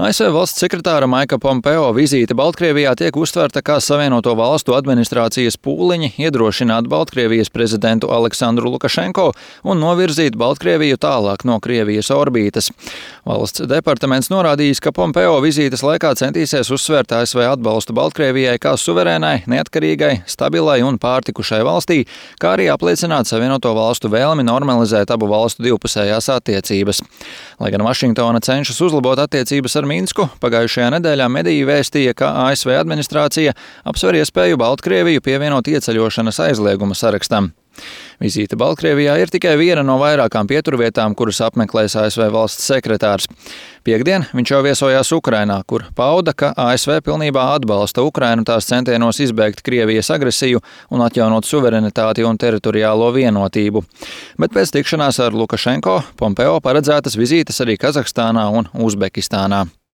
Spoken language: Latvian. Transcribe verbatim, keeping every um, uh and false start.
A S V valsts sekretāra Maika Pompeo vizīte Baltkrievijā tiek uztverta kā Savienoto valstu administrācijas pūliņi iedrošināt Baltkrievijas prezidentu Aleksandru Lukašenko un novirzīt Baltkrieviju tālāk no Krievijas orbītes. Valsts departaments norādījis, ka Pompeo vizītes laikā centīsies uzsvērt A S V atbalstu Baltkrievijai kā suverēnai, neatkarīgai, stabilai un pārtikušai valstī, kā arī apliecināt Savienoto valstu vēlmi normalizēt abu valstu divpusējās attiecības. Lai gan Vašingtona cenšas uzlabot attiecības ar Minsku, pagājušajā nedēļā mediji vēstīja, ka A S V administrācija apsver iespēju Baltkrieviju pievienot ieceļošanas aizlieguma sarakstam. Vizīte Baltkrievijā ir tikai viena no vairākām pieturvietām, kuras apmeklēs A S V valsts sekretārs. Piektdien viņš jau viesojās Ukrainā, kur pauda, ka A S V pilnībā atbalsta Ukrainu tās centienos izbēgt Krievijas agresiju un atjaunot suverenitāti un teritoriālo vienotību. Bet pēc tikšanās ar Lukašenko Pompeo paredzētas vizītes arī Kazahstānā un Uzbekistānā.